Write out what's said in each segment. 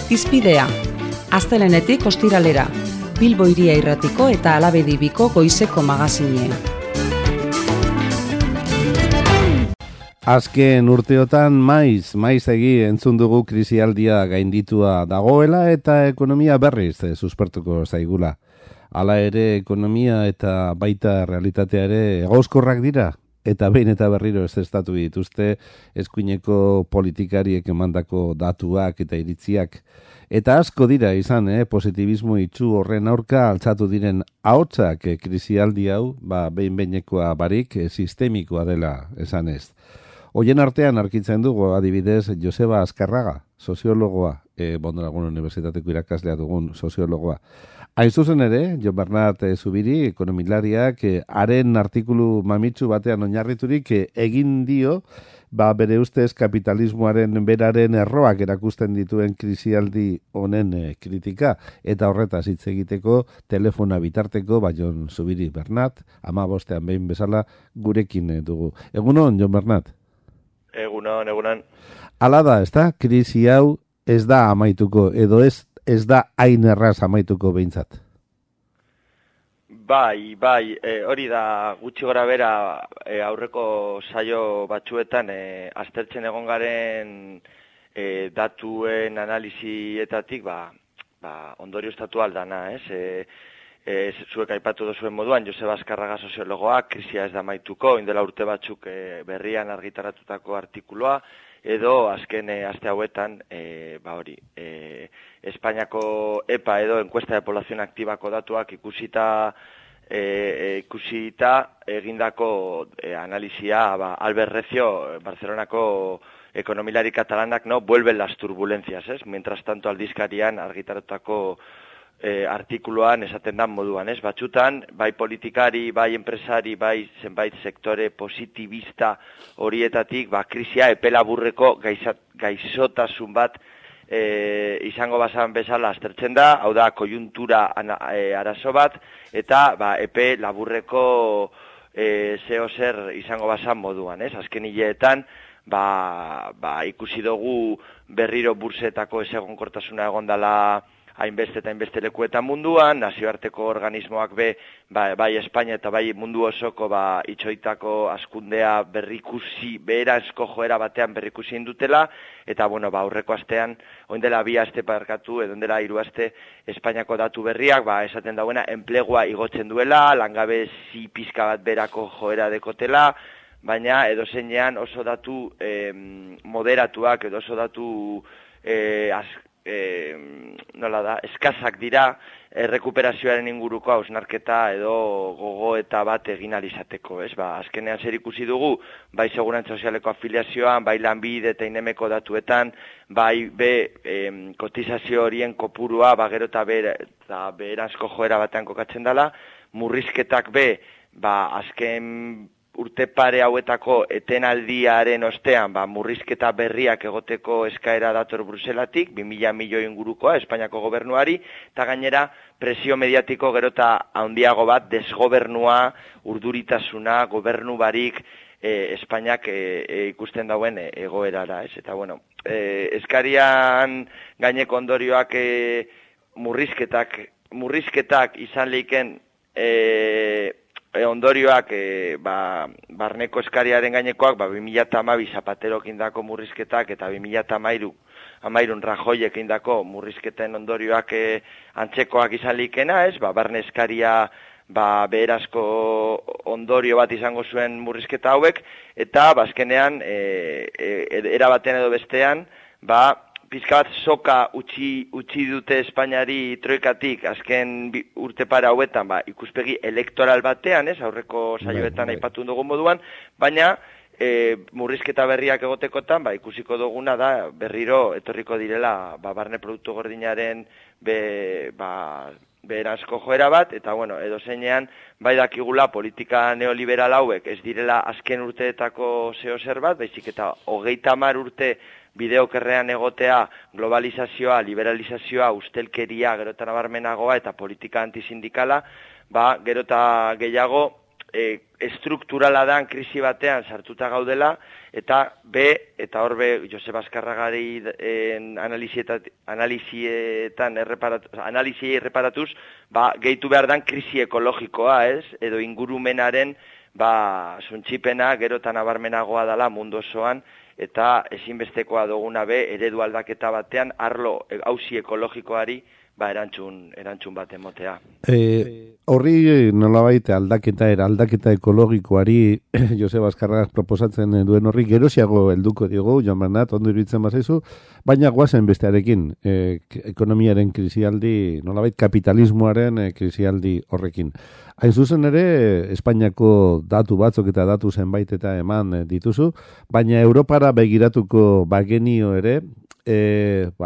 Hizpidea, astelehenetik ostiralera, Bilbo Hiria Irratiko eta Alabedibiko goizeko magazinean. Azken urteotan maizegi entzun dugu krisialdia gainditua dagoela eta ekonomia berriz suspertuko zaigula. Hala ere ekonomia eta baita realitatea ere egauzkorrak dira eta behin eta berriro ezeztatu dituzte eskuineko politikariek emandako datuak eta iritziak. Eta asko dira izan, positibismo itxu horren aurka altzatu diren ahotsak krisialdi hau, behin-behinekoa barik sistemikoa dela esan ez. Hoien artean arkitzen dugu adibidez Joseba Azkarraga, soziologoa, Mondragon Unibertsitateko irakaslea dugun soziologoa. Hain zuzen ere, Jon Bernat Zubiri, ekonomilariak, haren artikulu mamitsu batean oinarriturik egin dio, bere ustez kapitalismoaren beraren erroak erakusten dituen krisialdi honen kritika, eta horretaz hitz egiteko telefona bitarteko, Jon Zubiri Bernat, 15 behin bezala gurekin dugu. Egunon, Jon Bernat? Egunon. Hala da, ezta? Krisi hau ez da amaituko, edo ez da hain erraz amaituko behintzat. Bai, hori da gutxi gora bera aurreko saio batzuetan aztertzen egon garen datuen analizietatik ondorio estatu aldana, zuek aipatu duzuen moduan, Joseba Azkarraga soziologoa, krisia ez da amaituko, indela urte batzuk berrian argitaratutako artikuloa, edo azken aste hauetan, Espainiako EPA edo enkuesta de población aktibako datuak ikusita egindako analizia, Albert Recio, Barcelonako ekonomilari katalanak, vuelven las turbulencias, mientras tanto aldizkarian argitaratutako artikuluan esaten dan moduan, batzutan, bai politikari, bai enpresari, bai zenbait sektore positibista horietatik, krisia epelaburreko gaixotasun bat izango bazan bezala aztertzen da, hau da, kojuntura arazo bat, eta epe laburreko zeo zer izango bazan moduan, azken hileetan, ikusi dugu berriro bursetako ezegonkortasuna egondala hainbeste eta hainbeste lekuetan munduan, nazioarteko organismoak bai Espainia eta bai mundu osoko itxoitako askundea beheranzko joera batean berrikusi indutela, eta aurreko astean, oindela 2 aste parkatu, edo ondela 3 aste Espainiako datu berriak, esaten dauena, enplegua igotzen duela, langabezi pizka bat berako joera dekotela, baina edozeinean oso datu moderatuak, edo oso datu eskazak dira errekuperazioaren inguruko hausnarketa edo gogoeta bat egin alizateko, azkenean zer ikusi dugu, bai segurantza sozialeko afiliazioan, bai lanbide eta inemeko datuetan, bai kotizazio horien kopurua, gero eta beheranzko joera batean kokatzen dela, murrizketak azken urte pare hauetako etenaldiaren ostean, murrizketa berriak egoteko eskaera dator Bruselatik, 2.000 milioi ingurukoa Espainiako gobernuari, eta gainera presio mediatiko gero eta handiago bat, desgobernua, urduritasuna, gobernu barik Espainiak ikusten dauen egoerara, Eta eskarian gaineko ondorioak murrizketak izan leiken ondorioak barneko eskariaren gainekoak 2012 Zapaterok indako murrizketak eta 2013 Rajoyek indako murrizketen ondorioak antzekoak izan likena, barne eskaria beherazko ondorio bat izango zuen murrizketa hauek, eta bazkenean erabaten edo bestean pizka bat soka utzi dute Espainiari troikatik azken urte para hauetan, ikuspegi elektoral batean, aurreko saioetan aipatu dugun moduan, baina murrizketa berriak egotekotan, ikusiko duguna da berriro etorriko direla barne produktu gordinaren beherazko joera bat, eta edozeinean dakigula politika neoliberal hauek ez direla azken urteetako zeo zer bat, baizik eta 30 urte bideokerrean egotea, globalizazioa, liberalizazioa, ustelkeria, gero eta nabarmenagoa eta politika antisindikala, gero eta gehiago estrukturala dan krisi batean sartuta gaudela, eta eta horbe Joseba Azkarragari analiziei erreparatuz, gehitu behar dan krisi ekologikoa, ez? Edo ingurumenaren suntsipena gerotan nabarmenagoa dela mundu osoan, eta ezinbestekoa duguna eredu aldaketa batean arlo auzi ekologikoari erantzun bat emotea. Horri nolabait aldaketa ekologikoari Joseba Azkarragak proposatzen duen horri gerosiago helduko diogu, Joan Bernat, ondo iruditzen bazaizu, baina goazen bestearekin, ekonomiaren krisialdi, nolabait kapitalismoaren krisialdi horrekin. Hain zuzen ere, Espainiako datu batzuk eta datu zenbait eta eman dituzu, baina Europara begiratuko bagenio ere,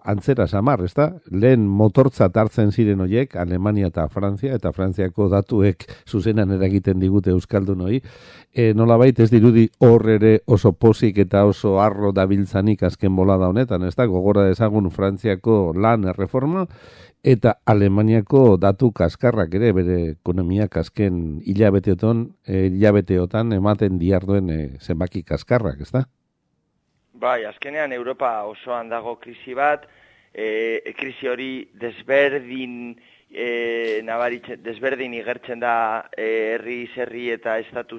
antzera samar, ezta? Lehen motortzat hartzen ziren horiek, Alemania eta Frantziako datuek zuzenan eragiten digute euskaldun hori, nolabait ez dirudi hor ere oso pozik eta oso arro dabiltzanik azken bolada honetan, ezta? Gogora dezagun Frantziako lan erreforma, eta Alemaniako datu kaskarrak ere, bere ekonomiak azken hilabeteotan ematen diarduen zenbaki kaskarrak, ezta? Bai, azkenean Europa osoan dago krisi bat, krisi hori desberdin igertzen da herri eta estatu,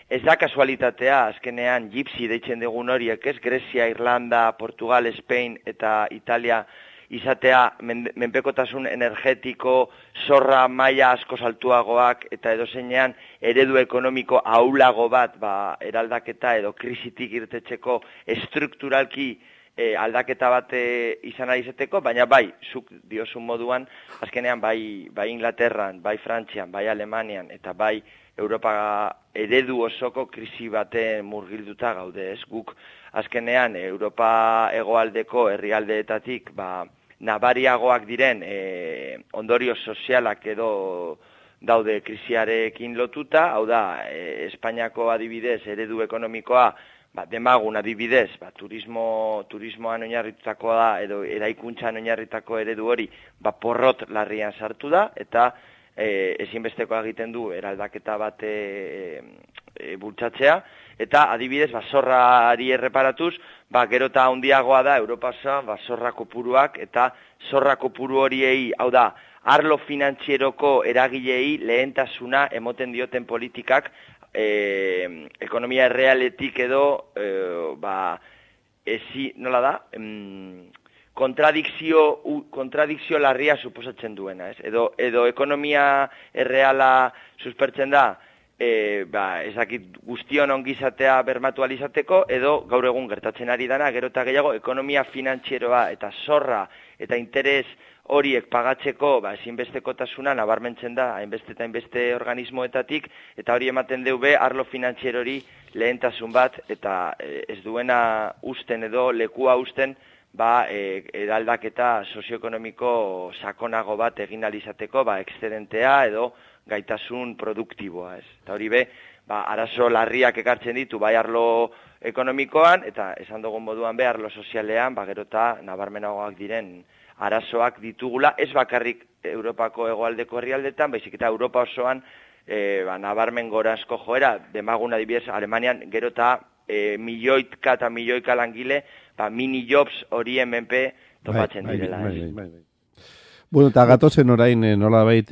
ez da kasualitatea, azkenean gipsi deitzen dugun horiek, ez? Grezia, Irlanda, Portugal, Spain eta Italia izatea menpekotasun energetiko, zorra maila asko altuagoak eta edozeinean eredu ekonomiko ahulago bat eraldaketa edo krisitik irtetzeko estrukturalki aldaketa bat izan ari izateko, baina zuk diozun moduan, azkenean bai Inglaterran, bai Frantzian, bai Alemanian eta bai Europa eredu osoko krisi baten murgilduta gaude, ez? Guk azkenean Europa hegoaldeko herrialdeetatik nabariagoak diren ondorio sozialak edo daude krisiarekin lotuta, hau da, Espainiako adibidez eredu ekonomikoa, demagun adibidez, turismoan oinarritutakoa da, edo eraikuntzan oinarritako eredu hori, porrot larrian sartu da, eta ezinbestekoa egiten du eraldaketa bat bultzatzea, eta adibidez, zorrari erreparatuz, gero eta handiagoa da Europa osoan, zorra kopuruak, eta zorra kopuru horiei, hau da, arlo finantzieroko eragilei lehentasuna emoten dioten politikak, ekonomia errealetik edo, nola da, kontradikzio larria suposatzen duena, ez? Edo ekonomia erreala suspertzen da, ezakit guztion ongizatea bermatu alizateko, edo gaur egun gertatzen ari dana, gero eta gehiago, ekonomia finantzieroa eta zorra eta interes horiek pagatzeko ezinbestekotasuna nabarmentzen da hainbeste eta hainbeste organismoetatik, eta hori ematen deube arlo finantzierori lehentasun bat, eta ez duena usten edo lekua usten eraldaketa sozioekonomiko sakonago bat egin alizateko, excedentea edo gaitasun produktiboa, ez? Eta hori arazo larriak ekartzen ditu, arlo ekonomikoan, eta esan dugun moduan arlo sozialean, gero eta nabarmenagoak diren arazoak ditugula, ez bakarrik Europako hegoaldeko herrialdetan, baizik eta Europa osoan nabarmen gorazko joera, demagun adibidez, Alemanian gero eta milioika eta milioika langile, mini jobs horien menpe topatzen direla. Bueno, eta gatozen orain nolabait,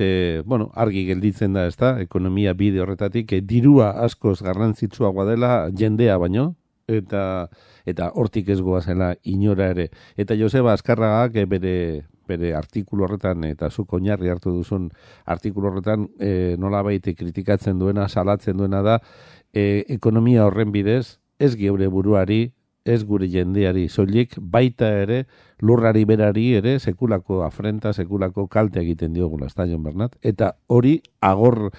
argi gelditzen da, ezta, ekonomia bide horretatik, dirua askoz garrantzitsuagoa dela jendea baino, eta hortik ez goazela inora ere. Eta Joseba Azkarragak bere artikulu horretan, eta zuk oinarri hartu duzun artikulu horretan, nolabait kritikatzen duena, salatzen duena da, ekonomia horren bidez, ez geure buruari, ez gure jendeari soilik, baita ere, lurrari berari ere, sekulako afrenta, sekulako kalte egiten diogula, ez da, Jon Bernat? Eta hori agortu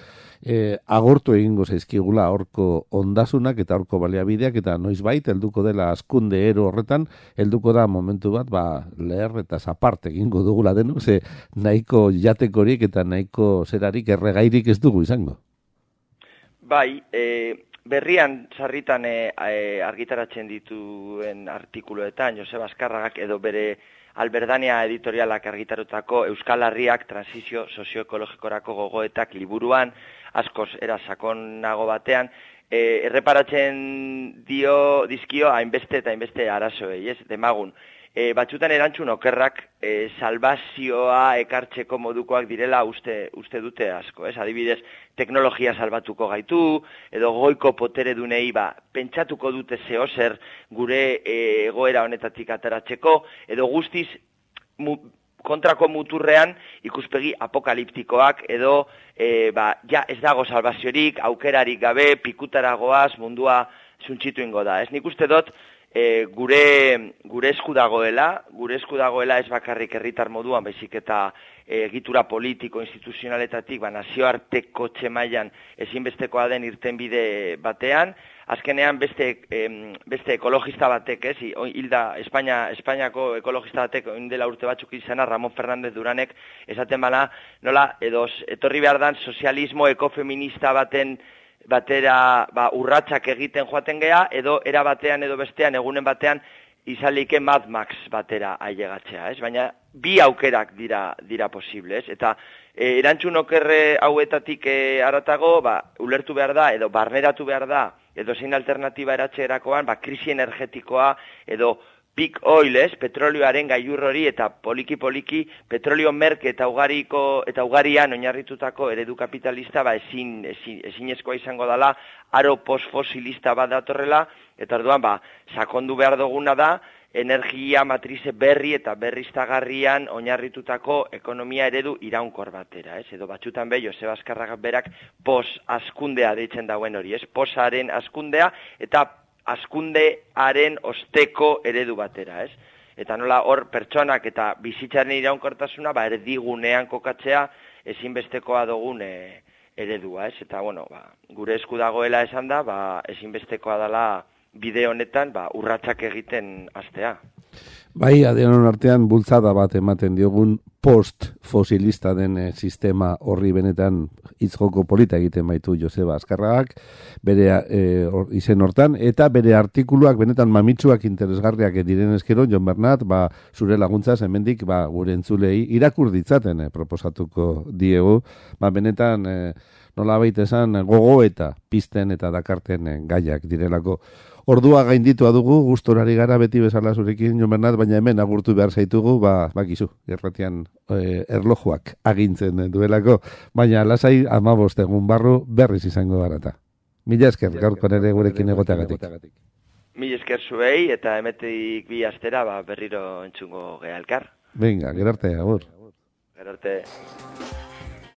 egingo zaizkigula horko ondasunak eta horko baliabideak, eta noizbait, helduko dela askunde ero horretan, helduko da momentu bat, leher eta zapart egingo dugula denok, ze nahiko jatekorik eta nahiko zerarik erregairik ez dugu izango. Bai, berrian sarritan argitaratzen dituen artikuluetan, Joseba Azkarragak edo bere Alberdania editorialak argitarutako Euskal Herriak transizio sozioekologikorako gogoetak liburuan, askoz era sakonago batean, erreparatzen dizkio hainbeste eta hainbeste arazoei, ez? Demagun, batzutan erantzun okerrak salbazioa ekartzeko modukoak direla uste dute asko, ez? Adibidez, teknologia salbatuko gaitu, edo goiko poteredunei pentsatuko dute zehozer gure egoera honetatik ateratzeko, edo guztiz kontrako muturrean ikuspegi apokaliptikoak edo ja ez dago salbaziorik, aukerarik gabe, pikutaragoaz mundua zuntxitu ingo da. Ez nik uste dut gure esku dagoela ez bakarrik herritar moduan, baizik eta egitura politiko, instituzionaletatik, nazioarteko txemailan ezinbestekoa den irtenbide batean, azkenean beste ekologista batek, hilda Espainiako ekologista batek dela urte batzuk izana, Ramon Fernández Duranek, esaten bana, nola, edo etorri behar dan sozialismo ekofeminista batera urratsak egiten joaten gea, edo era batean edo bestean, egunen batean, izalike Mad Max batera ailegatzea, ez? Baina bi aukerak dira posible, ez? Eta erantzun okerre hauetatik haratago, ulertu behar da, edo barneratu behar da, edo zein alternatiba eratxerakoan, krisi energetikoa, edo peak oil, ez? Petrolioaren gailur hori eta poliki-poliki petrolio merke eta ugarian oinarritutako eredu kapitalista ezinezkoa izango dela, aro postfosilista bat datorrela, eta orduan sakondu behar duguna da, energia matrize berri eta berriztagarrian oinarritutako ekonomia eredu iraunkor batera, ez? Edo batzutan Joseba Azkarragak berak pos-askundea deitzen dauen hori, ez? Posaren askundea eta askundearen osteko eredu batera, ez? Eta nola hor pertsonak eta bizitzaren iraunkortasuna erdigunean kokatzea ezinbestekoa dugun eredua, ez? Eta gure esku dagoela esan da, ezinbestekoa dela bide honetan urratsak egiten hastea. Bai, denon artean bultzada bat ematen diogun post-fosilista den sistema horri benetan hitzjoko polita egiten baitu Joseba Azkarragak, bere izen hortan, eta bere artikuluak benetan mamitsuak interesgarriak diren eskero, Jon Bernat, zure laguntzaz hemendik gure entzulei irakur ditzaten proposatuko diegu, benetan nola baita esan gogo eta pizten eta dakarten gaiak direlako. Ordua gainditua dugu, gustorari gara beti bezala zurekin, Jon Bernat, baina hemen agurtu behar zaitugu, bakizu, erratian erlojuak agintzen duelako, baina lasai 15 egun barru berriz izango garata. Mila esker, gaurko ere gurekin egoteagatik. Mila esker zuei, eta emetik bi astera berriro entzungo gea elkar. Venga, gerarte, agur. Gerarte.